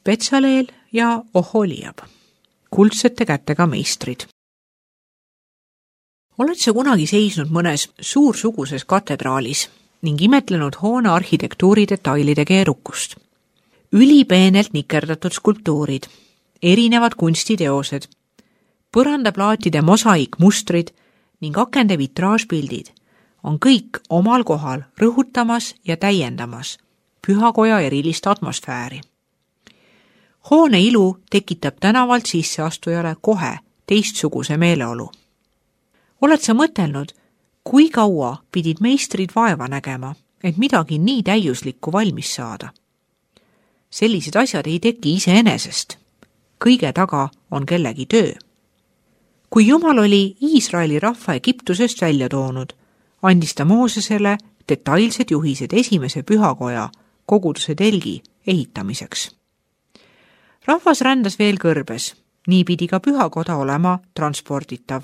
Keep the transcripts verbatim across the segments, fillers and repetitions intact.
Betsaleel ja Oholiab, kuldsete kätega meistrid. Oled sa kunagi seisnud mõnes suursuguses katedraalis ning imetlenud hoone arhitektuuri detailide keerukust? Ülipeenelt nikerdatud skulptuurid, erinevad kunstiteosed, põrandaplaatide mosaiikmustrid ning akende vitraažpildid on kõik omal kohal rõhutamas ja täiendamas pühakoja erilist atmosfääri. Hoone ilu tekitab tänavalt sisseastujale kohe teistsuguse meeleolu. Oled sa mõtelnud, kui kaua pidid meistrid vaeva nägema, et midagi nii täiuslikku valmis saada? Sellised asjad ei teki iseenesest. Kõige taga on kellegi töö. Kui Jumal oli Iisraeli rahva Egiptusest välja toonud, andis ta Moosesele detailsed juhised esimese pühakoja koguduse telgi ehitamiseks. Rahvas rändas veel kõrbes, nii pidi ka pühakoda olema transporditav.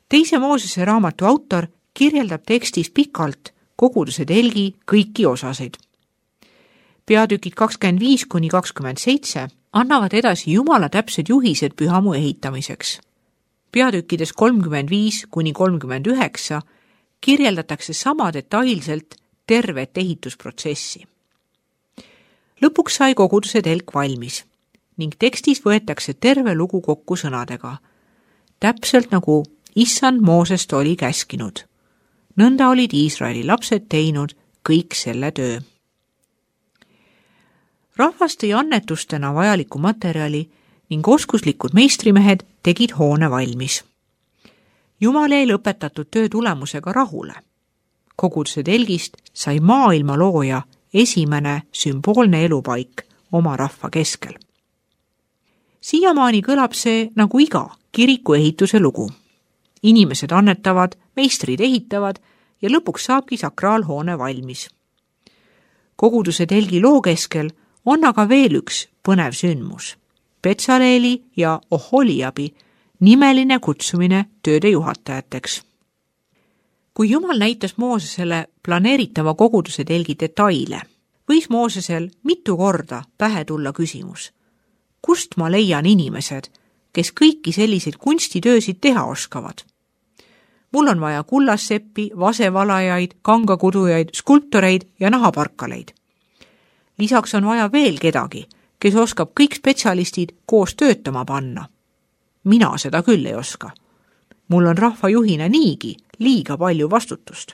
Teise Moosese raamatu autor kirjeldab tekstis pikalt koguduse telgi kõiki osasid. Peatükid kakskümmend viis kuni kakskümmend seitse annavad edasi Jumala täpsed juhised pühamu ehitamiseks. Peatükkides kolmkümmend viis kuni kolmkümmend üheksa kirjeldatakse sama detailselt tervet ehitusprotsessi. Lõpuks sai koguduse telk valmis ning tekstis võetakse terve lugu kokku sõnadega, täpselt nagu Issand Moosest oli käskinud. Nõnda olid Iisraeli lapsed teinud kõik selle töö. Rahvas tõi annetustena vajaliku materjali ning oskuslikud meistrimehed tegid hoone valmis. Jumal jäi lõpetatud töö tulemusega rahule. Koguduse telgist sai maailma looja esimene sümboolne elupaik oma rahva keskel. Siiamaani kõlab see nagu iga kiriku ehituse lugu. Inimesed annetavad, meistrid ehitavad ja lõpuks saabki sakraalhoone valmis. Koguduse telgi loo keskel on aga veel üks põnev sündmus. Betsaleeli ja Oholiabi nimeline kutsumine tööde juhatajateks. Kui Jumal näitas Moosesele planeeritava koguduse telgi detaile, võis Moosesel mitu korda pähe tulla küsimus. Kust ma leian inimesed, kes kõiki selliseid kunstitöösid teha oskavad? Mul on vaja kullasseppi, vasevalajaid, kangakudujaid, skulptoreid ja nahaparkaleid. Lisaks on vaja veel kedagi, kes oskab kõik spetsialistid koos töötama panna. Mina seda küll ei oska. Mul on rahvajuhina niigi liiga palju vastutust.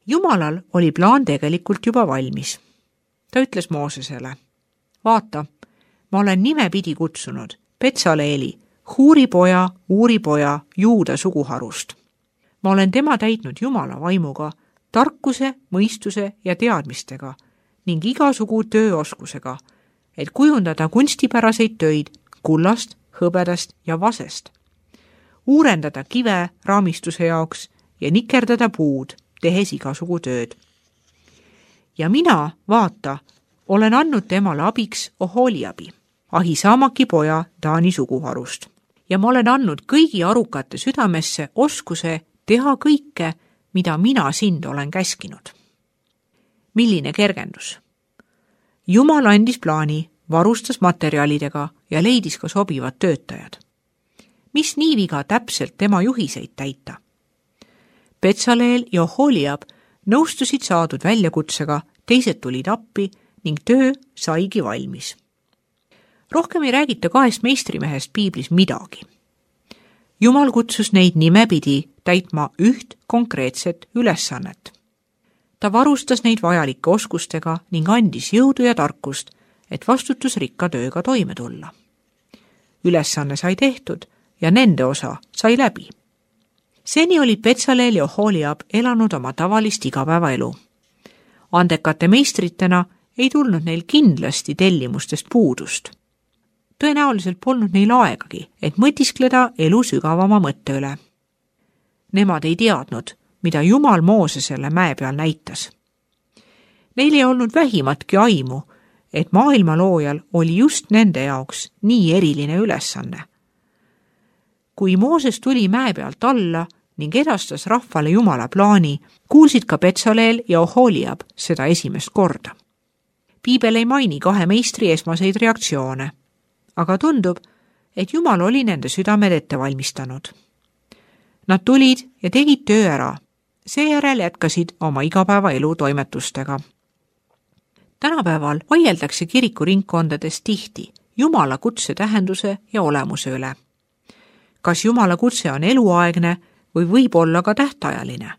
Jumalal oli plaan tegelikult juba valmis. Ta ütles Moosesele, vaata, ma olen nimepidi kutsunud Betsaleeli, Huuri poja, Uuri poja, Juuda suguharust. Ma olen tema täitnud Jumala vaimuga, tarkuse, mõistuse ja teadmistega ning igasugu tööoskusega, et kujundada kunstipäraseid töid kullast, hõbedast ja vasest, uurendada kive raamistuse jaoks ja nikerdada puud, tehes igasugu tööd. Ja mina, vaata, olen andnud temale abiks Oholiabi, Ahisaamaki poja Taani suguharust. Ja ma olen andnud kõigi arukate südamesse oskuse teha kõike, mida mina sind olen käskinud. Milline kergendus? Jumal andis plaani, varustas materjalidega ja leidis ka sobivad töötajad. Mis nii viga täpselt tema juhiseid täita? Betsaleel ja Oholiab nõustusid saadud väljakutsega, teised tulid appi ning töö saigi valmis. Rohkem ei räägita kahest meistrimehest piiblis midagi. Jumal kutsus neid nimepidi täitma üht konkreetset ülesannet. Ta varustas neid vajalike oskustega ning andis jõudu ja tarkust, et vastutusrikka tööga toime tulla. Ülesanne sai tehtud ja nende osa sai läbi. Seni olid Betsaleel ja Oholiab elanud oma tavalist igapäevaelu. Andekate meistritena ei tulnud neil kindlasti tellimustest puudust. Tõenäoliselt polnud neil aegagi, et mõtiskleda elu sügavama mõtte üle. Nemad ei teadnud, mida Jumal Moosesele mäe peal näitas. Neil ei olnud vähimatki aimu, et maailma loojal oli just nende jaoks nii eriline ülesanne. Kui Mooses tuli mäe pealt alla ning edastas rahvale Jumala plaani, kuulsid ka Betsaleel ja Oholiab seda esimest korda. Piibel ei maini kahe meistri esmaseid reaktsioone, aga tundub, et Jumal oli nende südamed ette valmistanud. Nad tulid ja tegid töö ära, seejärel jätkasid oma igapäevaelu toimetustega. Tänapäeval vaieldakse kirikuringkondades tihti Jumala kutse tähenduse ja olemuse üle. Kas Jumala kutse on eluaegne või võib olla ka tähtajaline?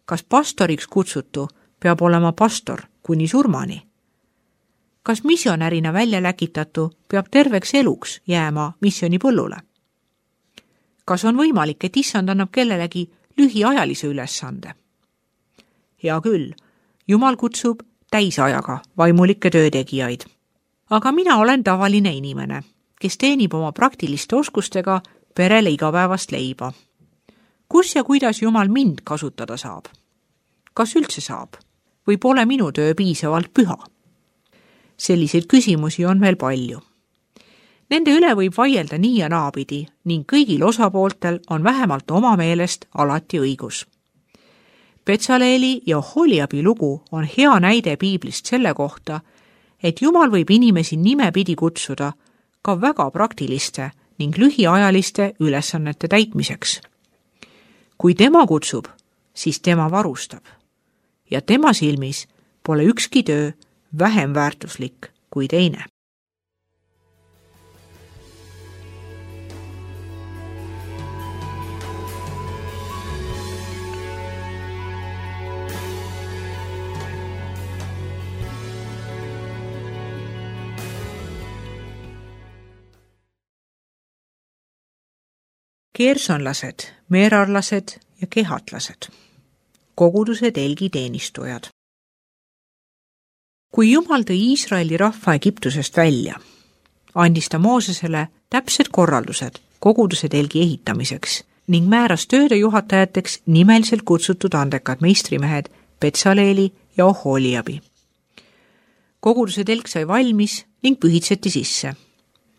Kas pastoriks kutsutu peab olema pastor kuni surmani? Kas missionärina välja läkitatu peab terveks eluks jääma missionipõllule? Kas on võimalik, et issand annab kellelegi lühiajalise ülesande? Hea küll, Jumal kutsub täisajaga vaimulikke töötegijaid. Aga mina olen tavaline inimene, kes teenib oma praktiliste oskustega perele igapäevast leiba. Kus ja kuidas Jumal mind kasutada saab? Kas üldse saab? Või pole minu töö piisavalt püha? Selliseid küsimusi on veel palju. Nende üle võib vaielda nii ja naapidi ning kõigil osapooltel on vähemalt oma meelest alati õigus. Betsaleeli ja Oholiabi lugu on hea näide piiblist selle kohta, et Jumal võib inimesi nimepidi kutsuda ka väga praktiliste ning lühiajaliste ülesannete täitmiseks. Kui tema kutsub, siis tema varustab. Ja tema silmis pole ükski töö vähem väärtuslik kui teine. Kersonlased, meerarlased ja kehatlased, koguduse telgi teenistujad. Kui Jumal tõi Iisraeli rahva Egiptusest välja, andis ta Moosesele täpsed korraldused koguduse telgi ehitamiseks ning määras tööde juhatajateks nimeliselt kutsutud andekad meistrimehed Betsaleeli ja Oholiabi. Koguduse telk sai valmis ning pühitseti sisse.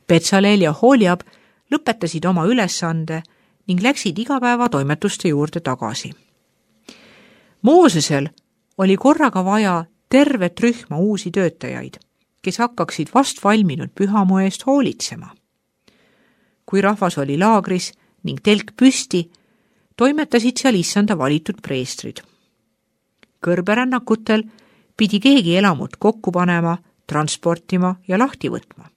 Betsaleel ja Oholiab lõpetasid oma ülesande ning läksid igapäeva toimetuste juurde tagasi. Moosesel oli korraga vaja tervet rühma uusi töötajaid, kes hakkaksid vast valminud pühamu eest hoolitsema. Kui rahvas oli laagris ning telk püsti, toimetasid seal issanda valitud preestrid. Kõrberännakutel pidi keegi elamut kokku panema, transportima ja lahti võtma.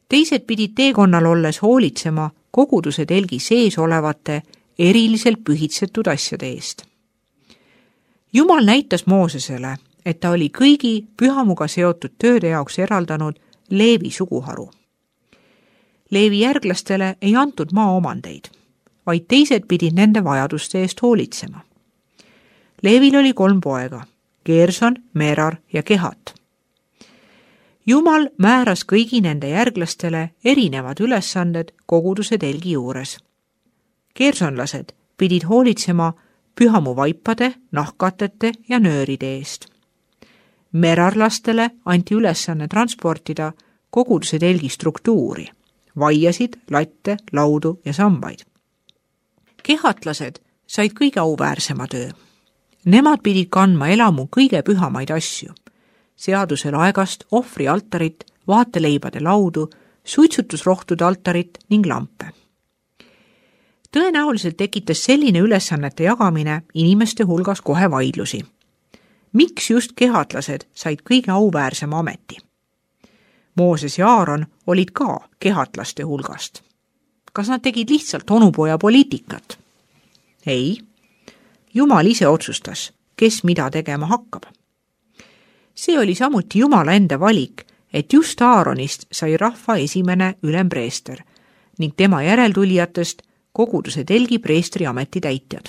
Teised pidid teekonnal olles hoolitsema koguduse telgi sees olevate eriliselt pühitsetud asjade eest. Jumal näitas Moosesele, et ta oli kõigi pühamuga seotud tööde jaoks eraldanud Leevi suguharu. Leevi järglastele ei antud maaomandeid, vaid teised pidid nende vajaduste eest hoolitsema. Leevil oli kolm poega, Gerson, Merar ja Kehat. Jumal määras kõigi nende järglastele erinevad ülesanded koguduse telgi juures. Gersonlased pidid hoolitsema pühamu vaipade, nahkatete ja nööride eest. Merarlastele anti ülesanne transportida koguduse telgi struktuuri, vaiasid, latte, laudu ja sambaid. Kehatlased said kõige auväärsema töö. Nemad pidid kandma elamu kõige pühamaid asju. Seaduse laegast, ohvri altarit, vaateleibade laudu, suitsutusrohtude altarit ning lampe. Tõenäoliselt tekitas selline ülesannete jagamine inimeste hulgas kohe vaidlusi. Miks just kehatlased said kõige auväärsema ameti? Mooses ja Aaron olid ka kehatlaste hulgast. Kas nad tegid lihtsalt onupoja poliitikat? Ei. Jumal ise otsustas, kes mida tegema hakkab. See oli samuti Jumala enda valik, et just Aaronist sai rahva esimene ülempreester ning tema järeltulijatest koguduse telgi preestri ameti täitjad.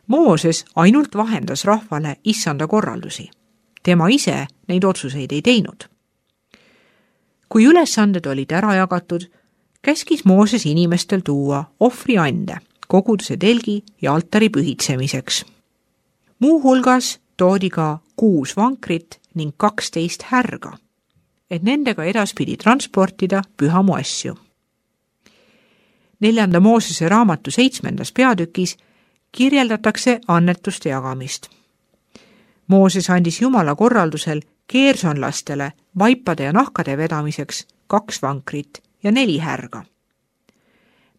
Mooses ainult vahendas rahvale issanda korraldusi. Tema ise neid otsuseid ei teinud. Kui ülesanded olid ära jagatud, käskis Mooses inimestel tuua ohvriande koguduse telgi ja altari pühitsemiseks. Muu hulgas toodi ka kuus vankrit ning kaksteist härga, et nendega edaspidi transportida pühamu asju. Neljanda Moosese raamatu seitsmendas peatükis kirjeldatakse annetuste jagamist. Mooses andis Jumala korraldusel keersonlastele vaipade ja nahkade vedamiseks kaks vankrit ja neli härga.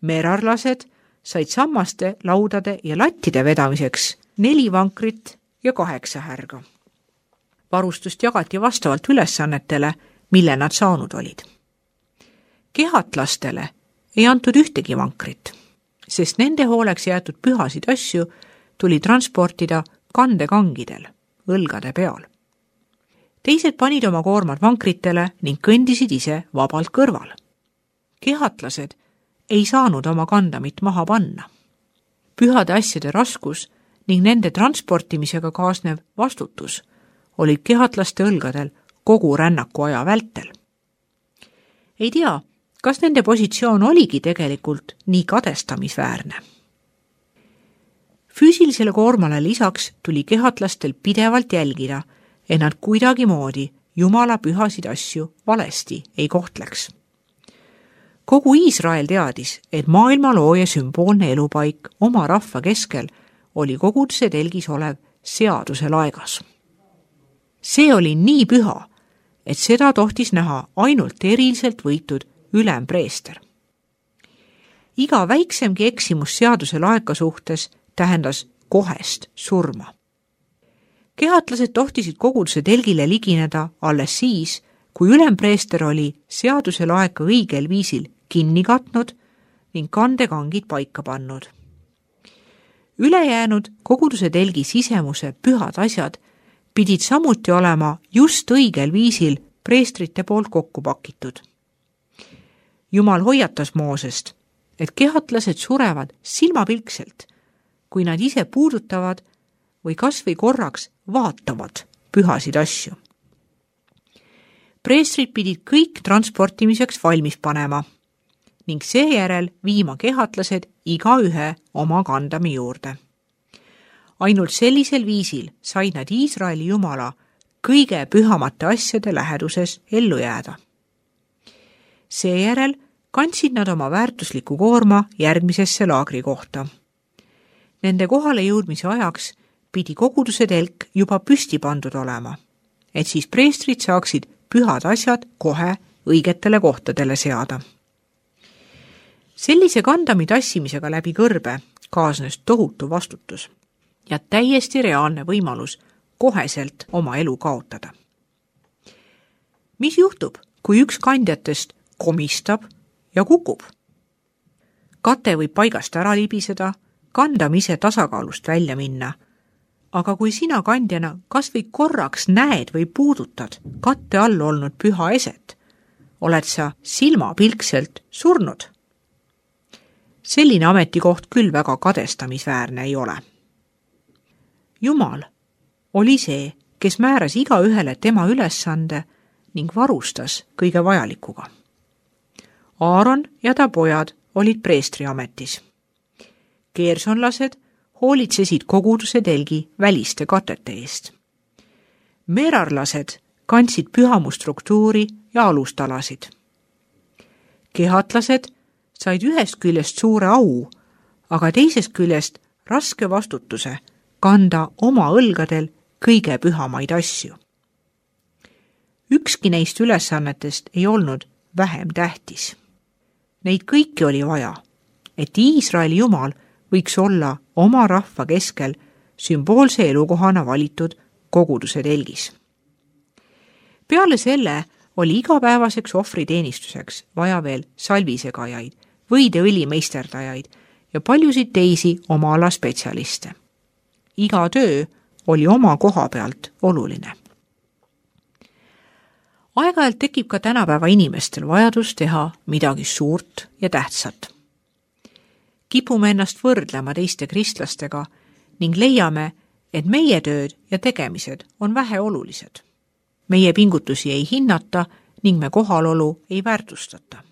Merarlased said sammaste, laudade ja lattide vedamiseks neli vankrit ja kaheksa härga. Varustust jagati vastavalt ülesannetele, mille nad saanud olid. Kehatlastele ei antud ühtegi vankrit, sest nende hooleks jäetud pühasid asju tuli transportida kandekangidel, õlgade peal. Teised panid oma koormad vankritele ning kõndisid ise vabalt kõrval. Kehatlased ei saanud oma kandamit maha panna. Pühade asjade raskus ning nende transportimisega kaasnev vastutus olid kehatlaste õlgadel kogu rännaku aja vältel. Ei tea, kas nende positsioon oligi tegelikult nii kadestamisväärne. Füüsilisele koormale lisaks tuli kehatlastel pidevalt jälgida, et nad kuidagi moodi Jumala pühasid asju valesti ei kohtleks. Kogu Iisrael teadis, et maailma looja sümboolne elupaik oma rahva keskel oli koguduse telgis olev seaduse laegas. See oli nii püha, et seda tohtis näha ainult eriliselt võitud ülempreester. Iga väiksemgi eksimus seaduse laeka suhtes tähendas kohest surma. Kehatlased tohtisid koguduse telgile ligineda alles siis, kui ülempreester oli seaduse laeka õigel viisil kinni katnud ning kandekangid paika pannud. Ülejäänud koguduse telgi sisemuse pühad asjad pidid samuti olema just õigel viisil preestrite poolt kokku pakitud. Jumal hoiatas Moosest, et kehatlased surevad silmapilkselt, kui nad ise puudutavad või kas või korraks vaatavad pühasid asju. Preestrid pidid kõik transportimiseks valmis panema ning seejärel viima kehatlased igaühe oma kandami juurde. Ainult sellisel viisil said nad Iisraeli Jumala kõige pühamate asjade läheduses ellu jääda. Seejärel kandsid nad oma väärtusliku koorma järgmisesse laagri kohta. Nende kohale jõudmise ajaks pidi koguduse telk juba püsti pandud olema, et siis preestrid saaksid pühad asjad kohe õigetele kohtadele seada. Sellise kandami tassimisega läbi kõrbe kaasnes tohutu vastutus ja täiesti reaalne võimalus koheselt oma elu kaotada. Mis juhtub, kui üks kandjatest komistab ja kukub? Kate võib paigast ära libiseda, kandam ise tasakaalust välja minna, aga kui sina kandjana kas või korraks näed või puudutad katte all olnud püha eset, oled sa silmapilkselt surnud. Selline ametikoht küll väga kadestamisväärne ei ole. Jumal oli see, kes määras igaühele tema ülesande ning varustas kõige vajalikuga. Aaron ja ta pojad olid preestri ametis. Keersonlased hoolitsesid koguduse telgi väliste katete eest. Merarlased kandsid pühamustruktuuri ja alustalasid. Kehatlased said ühest küljest suure au, aga teisest küljest raske vastutuse kanda oma õlgadel kõige pühamaid asju. Ükski neist ülesannetest ei olnud vähem tähtis. Neid kõiki oli vaja, et Iisraeli Jumal võiks olla oma rahva keskel sümboolse elukohana valitud koguduse telgis. Peale selle oli igapäevaseks ohvriteenistuseks vaja veel salvisegajaid, võideõli meisterdajaid ja paljusid teisi oma ala spetsialiste. Iga töö oli oma koha pealt oluline. Aeg-ajalt tekib ka tänapäeva inimestel vajadus teha midagi suurt ja tähtsat. Kipume ennast võrdlema teiste kristlastega ning leiame, et meie tööd ja tegemised on väheolulised. Meie pingutusi ei hinnata ning me kohalolu ei väärtustata.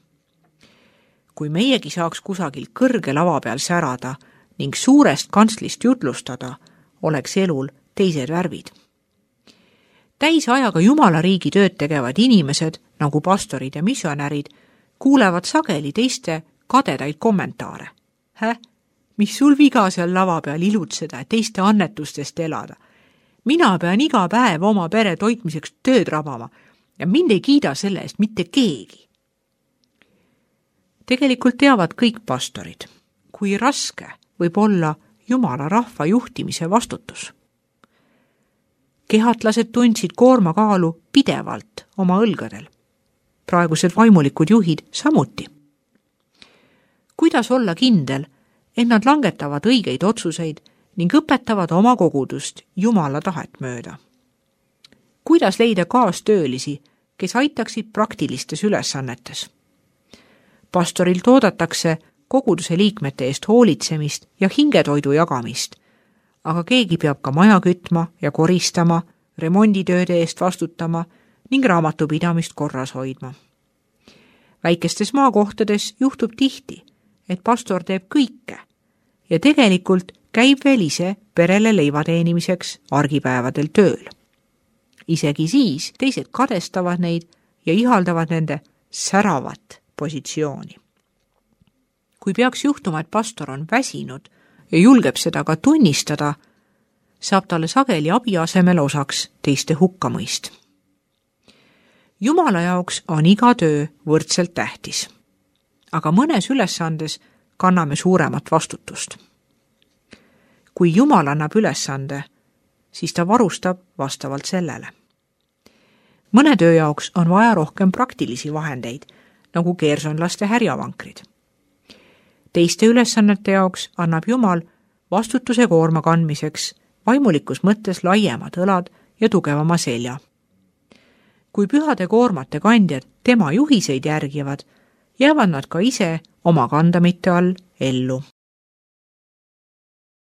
Kui meiegi saaks kusagil kõrge lava peal särada ning suurest kantslist jutlustada, oleks elul teised värvid. Täisajaga Jumala riigi tööd tegevad inimesed, nagu pastorid ja missionärid, kuulevad sageli teiste kadedaid kommentaare. Hä? Mis sul viga seal lava peal ilutseda, teiste annetustest elada? mina pean iga päev oma pere toitmiseks tööd rabama ja mind ei kiida selle eest mitte keegi. Tegelikult teavad kõik pastorid, kui raske võib olla Jumala rahva juhtimise vastutus. Kehatlased tundsid koormakaalu pidevalt oma õlgadel. Praegused vaimulikud juhid samuti. Kuidas olla kindel, et nad langetavad õigeid otsuseid ning õpetavad oma kogudust Jumala tahet mööda? Kuidas leida kaastöölisi, kes aitaksid praktilistes ülesannetes? Pastorilt oodatakse koguduse liikmete eest hoolitsemist ja hingetoidu jagamist, aga keegi peab ka maja kütma ja koristama, remonditööde eest vastutama ning raamatupidamist korras hoidma. Väikestes maakohtades juhtub tihti, et pastor teeb kõike ja tegelikult käib veel ise perele leiva teenimiseks argipäevadel tööl. Isegi siis teised kadestavad neid ja ihaldavad nende säravat positsiooni. Kui peaks juhtuma, et pastor on väsinud ja julgeb seda ka tunnistada, saab talle sageli abi asemel osaks teiste hukkamõist. Jumala jaoks on iga töö võrdselt tähtis, aga mõnes ülesandes kanname suuremat vastutust. Kui Jumal annab ülesande, siis ta varustab vastavalt sellele. Mõne töö jaoks on vaja rohkem praktilisi vahendeid, nagu keersonlaste härjavankrid. Teiste ülesannete jaoks annab Jumal vastutuse koorma kandmiseks vaimulikus mõttes laiemad õlad ja tugevama selja. Kui pühade koormate kandjad tema juhiseid järgivad, jäävad nad ka ise oma kandamite all ellu.